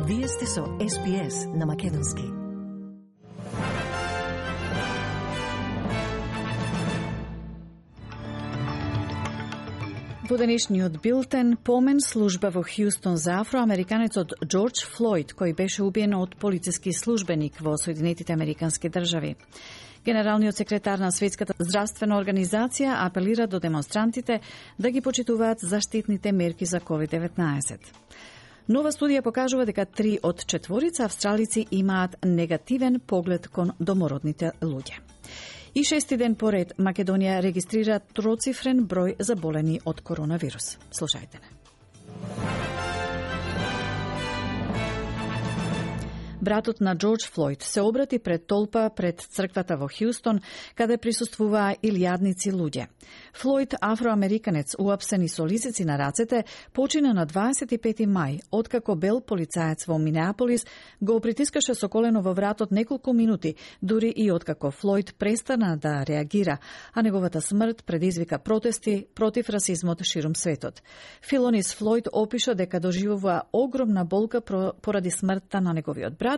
Вие сте со SBS на Македонски. Во денешниот билтен помен служба во Хјустон за афроамериканецот Џорџ Флојд, кој беше убиен од полициски службеник во Соединетите Американски држави. Генералниот секретар на Светската здравствена организација апелира до демонстрантите да ги почитуваат заштитните мерки за COVID-19. Нова студија покажува дека 3 од 4 австралици имаат негативен поглед кон домородните луѓе. И 6 ден поред Македонија регистрира троцифрен број заболени од коронавирус. Слушајте не. Братот на Џорџ Флојд се обрати пред толпа пред црквата во Хјустон, каде присуствуваа илјадници луѓе. Флојд, афроамериканец уапсен и со лисици на рацете, почина на 25 мај, откако бел полицаец во Минеаполис го притискаше со колено во вратот неколку минути, дури и откако Флојд престана да реагира, а неговата смрт предизвика протести против расизмот ширум светот. Филонис Флојд опиша дека доживува огромна болка поради смртта на неговиот брат,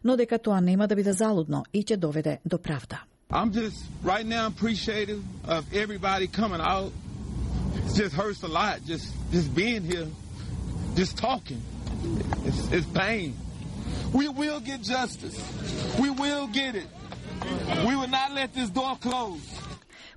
но дека тоа нема да биде залудно и ќе доведе до правда. I'm just right now appreciative of everybody coming out. It just hurts a lot just being here, just talking. It's pain. We will get justice. We will get it. We will not let this door close.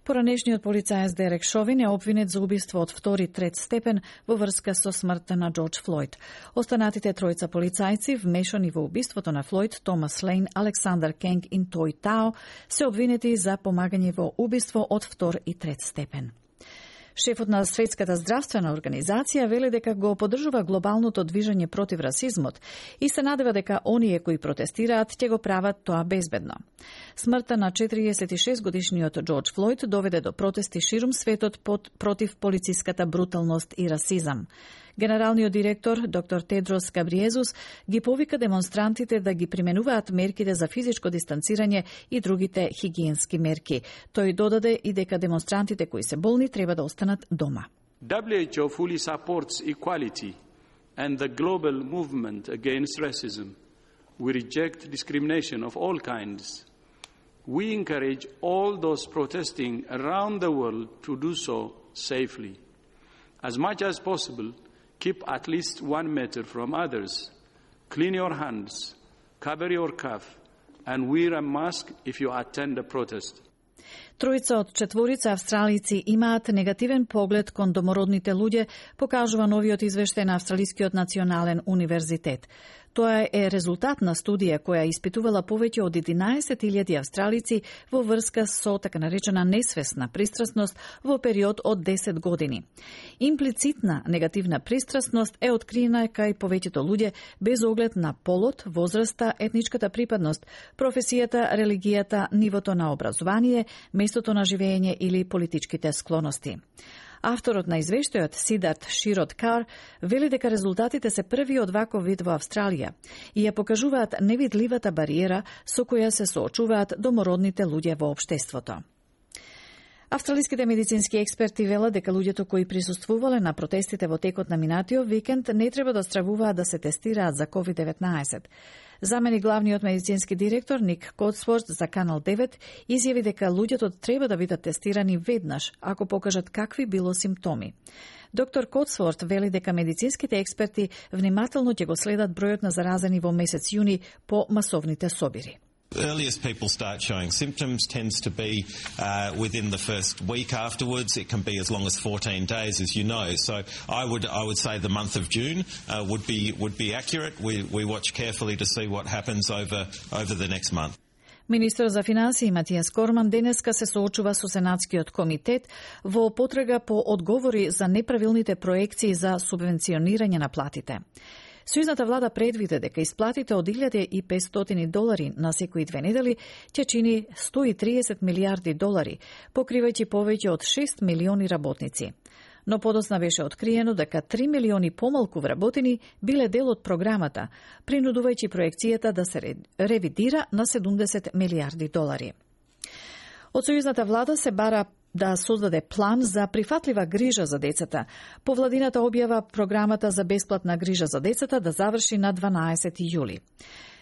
Поранешниот полицаец Дерек Шовин е обвинет за убиство од втори трет степен во врска со смртта на Џорџ Флојд. Останатите тројца полицајци вмешани во убиството на Флојд, Томас Лейн, Александар Кенг и Тој Тао, се обвинети за помагање во убиство од втор и трет степен. Шефот на Светската здравствена организација вели дека го поддржува глобалното движење против расизмот и се надева дека оние кои протестираат ќе го прават тоа безбедно. Смртта на 46 годишниот Џорџ Флојд доведе до протести ширум светот против полициската бруталност и расизам. Генералниот директор, доктор Тедрос Габриезус, ги повика демонстрантите да ги применуваат мерките за физичко дистанцирање и другите хигиенски мерки. Тој додаде и дека демонстрантите кои се болни треба да останат дома. WHO fully supports equality and the global movement against racism. We reject discrimination of all kinds. We encourage all those protesting around the world to do so safely. As much as possible, keep at least 1 meter from others. Clean your hands, cover your cough, and wear a mask if you attend a protest. Тројца од 4 австралици имаат негативен поглед кон домородните луѓе, покажува новиот извештај на Австралискиот национален универзитет. Тоа е резултат на студија која испитувала повеќе од 11.000 австралици во врска со така наречена несвесна пристрасност во период од 10 години. Имплицитна негативна пристрасност е откриена кај повеќето луѓе без оглед на полот, возраста, етничката припадност, професијата, религијата, нивото на образование, местото на живење или политичките склоности. Авторот на извештајот, Сидарт Широт Кар, вели дека резултатите се први од ваков вид во Австралија и ја покажуваат невидливата бариера со која се соочуваат домородните луѓе во општеството. Австралиските медицински експерти велат дека луѓето кои присуствувале на протестите во текот на минатиот викенд не треба да стравуваат да се тестираат за COVID-19. Замени главниот медицински директор Ник Котсворт за Канал 9 изјави дека луѓето треба да бидат тестирани веднаш ако покажат какви било симптоми. Доктор Котсворт вели дека медицинските експерти внимателно ќе го следат бројот на заразени во месец јуни по масовните собири. Earliest people start showing symptoms tends to be within the first week afterwards. It can be as long as 14 days, as you know. So I would say the month of June would be accurate. We watch carefully to see what happens over the next month. Министер за финансии Матијас Корман денеска се соочува со Сенатскиот комитет во потрага по одговори за неправилните проекции за субвенционирање на платите. Сојузната влада предвиде дека исплатите од $1.500 на секои 2 недели ќе чини $130 милиарди, покривајќи повеќе од 6 милиони работници. Но подоцна беше откриено дека 3 милиони помалку вработени биле дел од програмата, принудувајќи проекцијата да се ревидира на $70 милиарди. Од сојузната влада се бара да создаде план за прифатлива грижа за децата. Повладината објава програмата за бесплатна грижа за децата да заврши на 12 јули.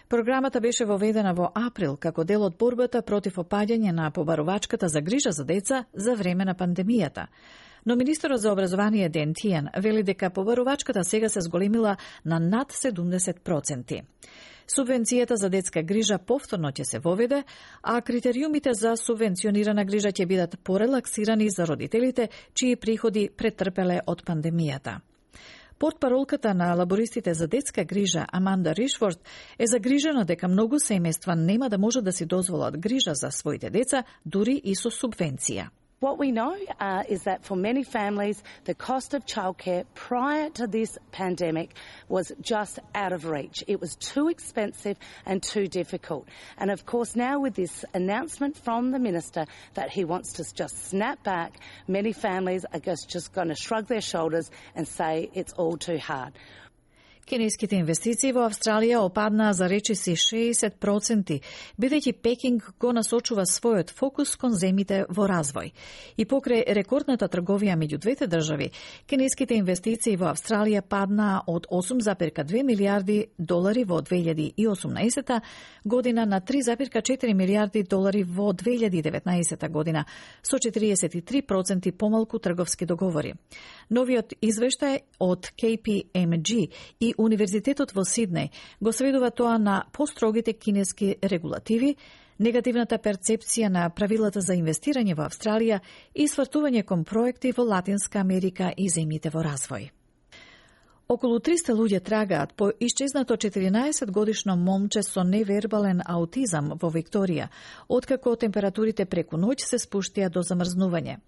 Програмата беше воведена во април како дел од борбата против опаѓање на побарувачката за грижа за деца за време на пандемијата. Но министерот за образование Ден Тиен вели дека побарувачката сега се зголемила на над 70%. Субвенцијата за детска грижа повторно ќе се воведе, а критериумите за субвенционирана грижа ќе бидат порелаксирани за родителите чии приходи претрпеле од пандемијата. Портпаролката на лабористите за детска грижа Аманда Ришфорд е загрижена дека многу семејства нема да можат да си дозволат грижа за своите деца, дури и со субвенција. What we know is that for many families, the cost of childcare prior to this pandemic was just out of reach. It was too expensive and too difficult. And of course, now with this announcement from the Minister that he wants to just snap back, many families are just going to shrug their shoulders and say it's all too hard. Кинеските инвестиции во Австралија опаднаа за речиси 60%, бидејќи Пекинг го насочува својот фокус кон земите во развој. И покрај рекордната трговија меѓу двете држави, кинеските инвестиции во Австралија паднаа од 8,2 милиарди долари во 2018 година на 3,4 милиарди долари во 2019 година, со 43% помалку трговски договори. Новиот извештај од KPMG и Универзитетот во Сиднеј го сведува тоа на построгите кинески регулативи, негативната перцепција на правилата за инвестирање во Австралија и свртување кон проекти во Латинска Америка и земјите во развој. Околу 300 луѓе трагаат по исчезнато 14-годишно момче со невербален аутизам во Викторија, откако температурите преку ноќ се спуштија до замрзнување.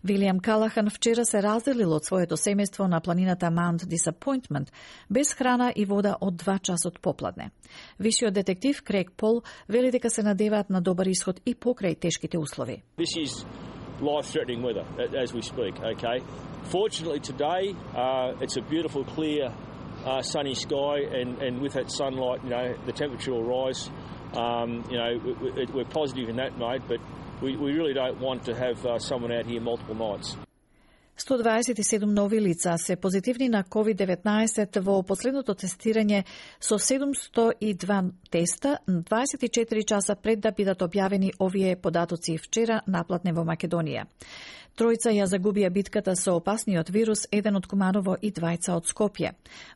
Вилијам Калахан вчера се разделил од своето семејство на планината Mount Disappointment без храна и вода од 2 часот попладне. Вишиот детектив Крейг Пол вели дека се надеваат на добар исход и покрај тешките услови. This is life-threatening weather as we speak, okay? Fortunately today, it's a beautiful, clear, sunny sky, and with that sunlight, the temperature will rise. We're positive in that mode, but we really don't want to have someone out here multiple nights. 127 нови лица се позитивни на COVID-19 во последното тестирање со 702 теста 24 часа пред да бидат објавени овие податоци вчера наплатне во Македонија. Тројца ја загубија битката со опасниот вирус, еден од Куманово и двајца од Скопје.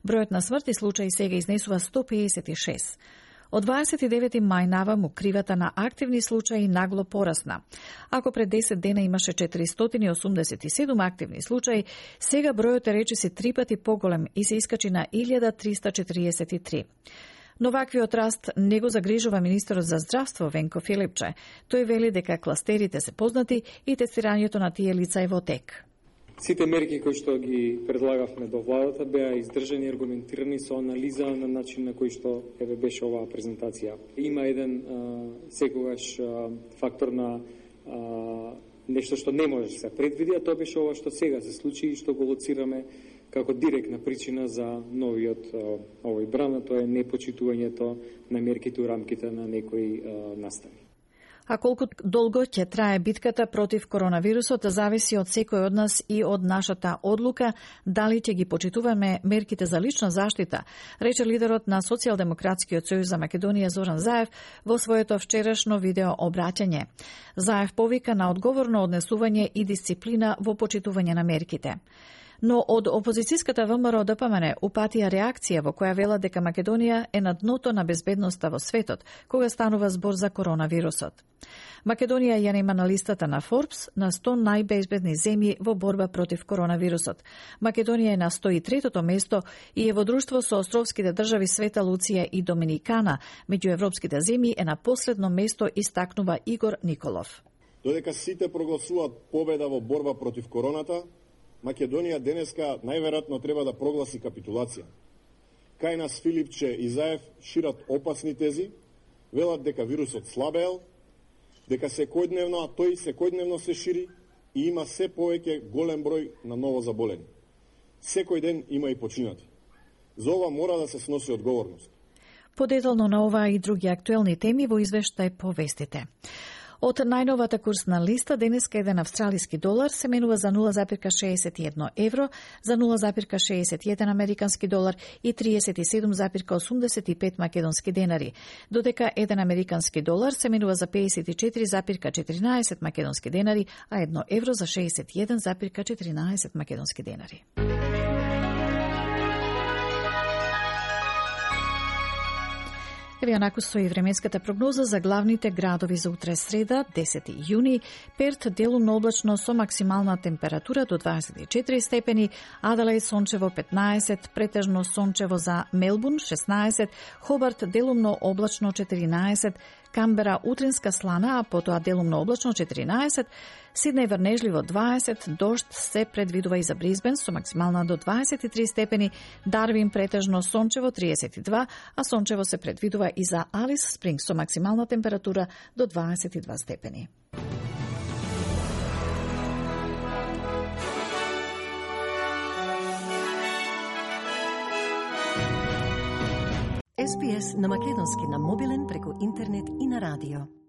Бројот на смртни случаи сега изнесува 156. Од 29 мај наваму кривата на активни случаи нагло порасна. Ако пред 10 дена имаше 487 активни случаи, сега бројот е речиси 3 пати поголем и се искачи на 1343. Но ваквиот раст не го загрижува министерот за здравство Венко Филипче. Тој вели дека кластерите се познати и тестирањето на тие лица е во тек. Сите мерки кои што ги предлагавме до владата беа издржани и аргументирани со анализа на начин на кој што беше оваа презентација. Има еден секогаш фактор на нешто што не може да се предвиди, а тоа беше ова што сега се случи и што го лоцираме како директна причина за новиот овој бран, тоа е непочитувањето на мерките у рамките на некои настави. А колку долго ќе трае битката против коронавирусот зависи од секој од нас и од нашата одлука дали ќе ги почитуваме мерките за лична заштита, рече лидерот на Социјалдемократскиот сојуз за Македонија Зоран Заев во своето вчерашно видео обраќање. Заев повика на одговорно однесување и дисциплина во почитување на мерките. Но од опозицијската ВМРО ДПМН упатија реакција во која велат дека Македонија е на дното на безбедноста во светот, кога станува збор за коронавирусот. Македонија ја нема на листата на Forbes на 100 најбезбедни земји во борба против коронавирусот. Македонија е на 103-тото место и е во друштво со островските држави Света Луција и Доминикана. Меѓу европските земји е на последно место, истакнува Игор Николов. Додека сите прогласуваат победа во борба против короната, Македонија денеска најверојатно треба да прогласи капитулација. Кај нас Филипче и Заев шират опасни тези, велат дека вирусот слабеел, дека тој секојдневно се шири и има се повеќе голем број на ново заболени. Секој ден има и починати. За ова мора да се сноси одговорност. Подетално на ова и други актуелни теми во извештај по вестите. Од најновата курсна листа, денеска еден австралиски долар се менува за 0,61 евро, за 0,61 американски долар и 37,85 македонски денари, додека еден американски долар се менува за 54,14 македонски денари, а 1 евро за 61,14 македонски денари. Еве онаку стои временската прогноза за главните градови за утре среда, 10 јуни. Перт делумно облачно со максимална температура до 24 степени, Аделаид сончево 15, претежно сончево за Мелбурн 16, Хобарт делумно облачно 14, Камбера утринска слана, а потоа делумно облачно 14, Сиднеј врнежливо 20, дожд се предвидува и за Брисбен со максимална до 23 степени, Дарвин претежно сончево 32, а сончево се предвидува и за Алис Спрингс со максимална температура до 22 степени. SPS на македонски на мобилен преку интернет и на радио.